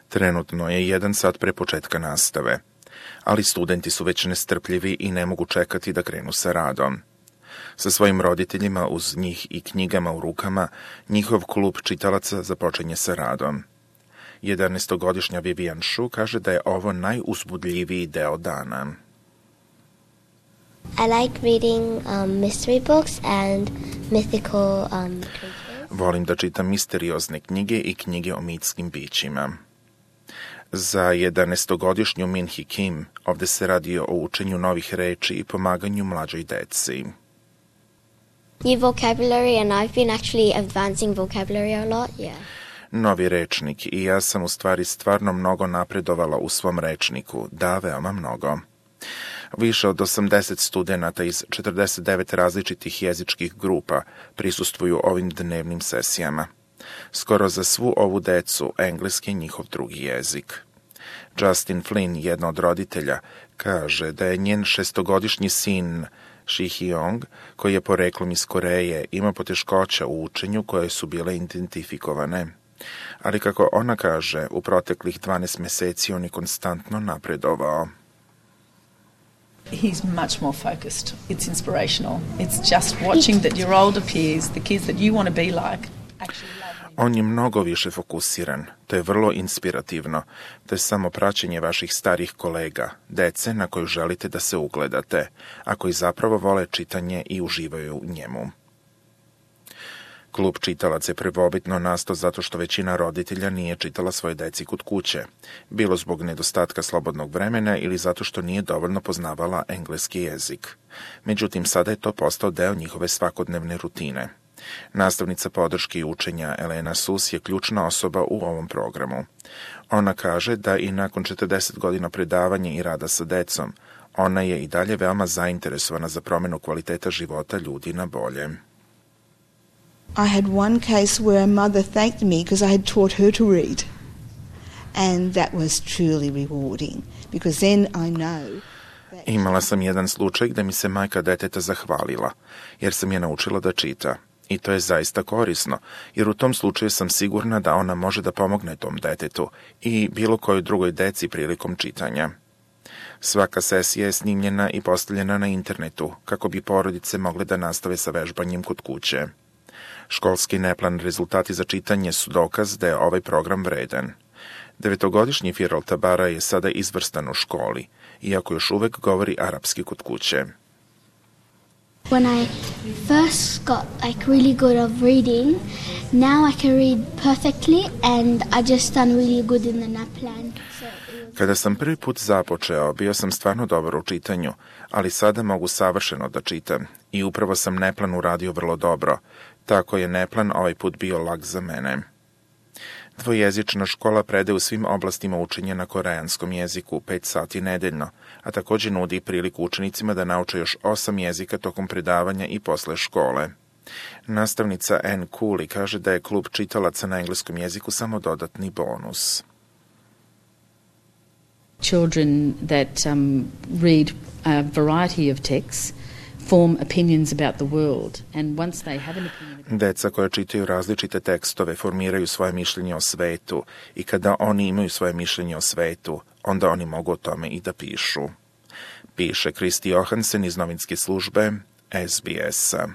Trenutno je 1 sat pre početka nastave, ali studenti su već nestrpljivi i ne mogu čekati da krenu sa radom. Sa svojim roditeljima uz njih i knjigama u rukama, njihov klub čitalaca započinje sa radom. 11-godišnja Vivian Shu kaže da je ovo najuzbudljiviji deo dana. I like reading mystery books and mythical creatures. Volim da čitam misteriozne knjige i knjige o mitskim bićima. Za 11-godišnju Minhee Kim ovde se radi o učenju novih reči i pomaganju mlađoj deci. New vocabulary and I've been actually advancing vocabulary a lot, yeah. Novi rečnik i ja sam u stvari stvarno mnogo napredovala u svom rečniku, da, veoma mnogo. Više od 80 studenata iz 49 različitih jezičkih grupa prisustvuju ovim dnevnim sesijama. Skoro za svu ovu decu engleski je njihov drugi jezik. Justin Flynn, jedna od roditelja, kaže da je njen 6-godišnji sin Shi-Hyung, koji je poreklom iz Koreje, ima poteškoća u učenju koje su bile identifikovane. Ali kako ona kaže, u proteklih 12 meseci on je konstantno napredovao. He's much more focused. It's inspirational. It's just watching that your older peers, the kids that you want to be like, actually love you. On je mnogo više fokusiran. To je vrlo inspirativno. To je samo praćenje vaših starih kolega, dece na koju želite da se ugledate, a koji zapravo vole čitanje i uživaju u njemu. Klub čitalaca je prvobitno nastao zato što većina roditelja nije čitala svoje deci kod kuće, bilo zbog nedostatka slobodnog vremena ili zato što nije dovoljno poznavala engleski jezik. Međutim, sada je to postao deo njihove svakodnevne rutine. Nastavnica podrške i učenja Elena Sus je ključna osoba u ovom programu. Ona kaže da i nakon 40 godina predavanja i rada sa decom, ona je i dalje veoma zainteresovana za promenu kvaliteta života ljudi na bolje. I had one case where a mother thanked me because I had taught her to read. And that was truly rewarding because then I know. Imala sam jedan slučaj gde mi se majka deteta zahvalila, jer sam je naučila da čita. I to je zaista korisno, jer u tom slučaju sam sigurna da ona može da pomogne tom detetu i bilo kojoj drugoj deci prilikom čitanja. Svaka sesija je snimljena i postavljena na internetu, kako bi porodice mogle da nastave sa vežbanjem kod kuće. Školski neplan rezultati za čitanje su dokaz da je ovaj program vredan. 9-godišnji Firal Tabara je sada izvrstan u školi, iako još uvek govori arapski kod kuće. When I first got really good of reading, now I can read perfectly and I just done really good in the NAPLAN. Kada sam prvi put započeo, bio sam stvarno dobar u čitanju, ali sada mogu savršeno da čitam i upravo sam NAPLAN uradio vrlo dobro, tako je NAPLAN ovaj put bio lak za mene. Dvojezična škola predaje u svim oblastima učenja na koreanskom jeziku 5 sati nedeljno, a također nudi priliku učenicima da nauče još 8 jezika tokom predavanja i posle škole. Nastavnica Anne Cooley kaže da je klub čitalaca na engleskom jeziku samo dodatni bonus. Children that read a variety of texts form opinions about the world, and once they have an opinion... Deca koja čitaju različite tekstove formiraju svoje mišljenje o svetu i kada oni imaju svoje mišljenje o svetu, onda oni mogu o tome i da pišu. Piše Kristi Johansen iz novinske službe SBS-a.